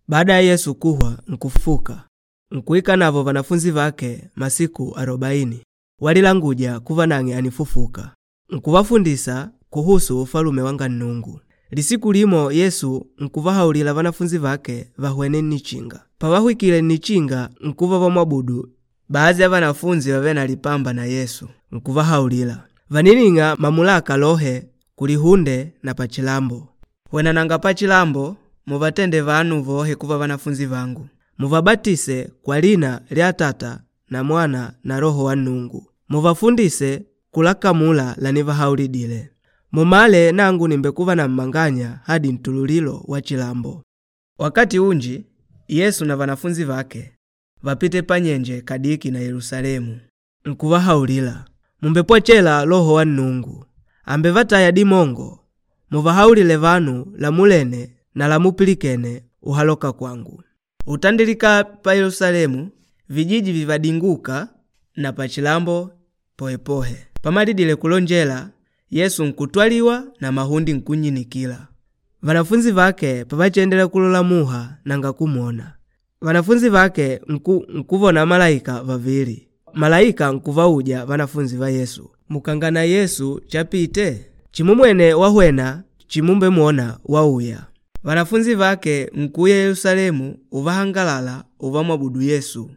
Baada ya Yesu kuhwa nkufufuka, nkuika navo vanafunzi vake masiku 40 walilanguja kuva nang'e ànifufuka, nkuvafundisa kuhusu Ufalume wanga Nnungu. Lisiku limo Yesu nkuvahaulila vanafunzi vake vahwene nnichinga. Pavahwikile nnichinga nkuva vamwabudu. Baadhi ya vanafunzi vavêle na lipamba na Yesu nkuvahaulila, “Vànining'a mamulaka lohe kulihunde na pachilambo. Hwenananga pachilambo muvatende vanu vohe kuva vanafunzi vangu. Muvabatise kwa lina lya Atata na Mwana na Loho wa Nnungu. Muvafundise kulakamula lanivahaulidile. Mumale nangu nìmbekuva na mmanganya hadi ntululilo wa chilambo.” Wakati unji Yesu na vanafunzi vake vapite panyenje kadiki na Yelusalemu. Nkuvahaulila, “Mùmbepwachela Loho wa Nnungu. Àmbevataya dimongo muvahaulile vanu lamulene na lamupilikene uhaloka kwangu. Utandilika pa Yelusalemu, vijiji vivadingûka na pachilambo pohepohe.” Pamalidile kulonjela, Yesu nkutwaliwa na mahundi nkunnyinikila. Vanafunzi vake pavachiendelela kulola muha nanga kumwona. Vanafunzi vake nkuvona malaika vavili. Malaika nkuvauja vanafunzi va Yesu, “Mukangana Yesu chapite? Chimumwene wahwena, chimumbemwona wauya.” Vanafunzi vake nkuuya Yelusalemu uvahangalala uvamwabudu Yesu.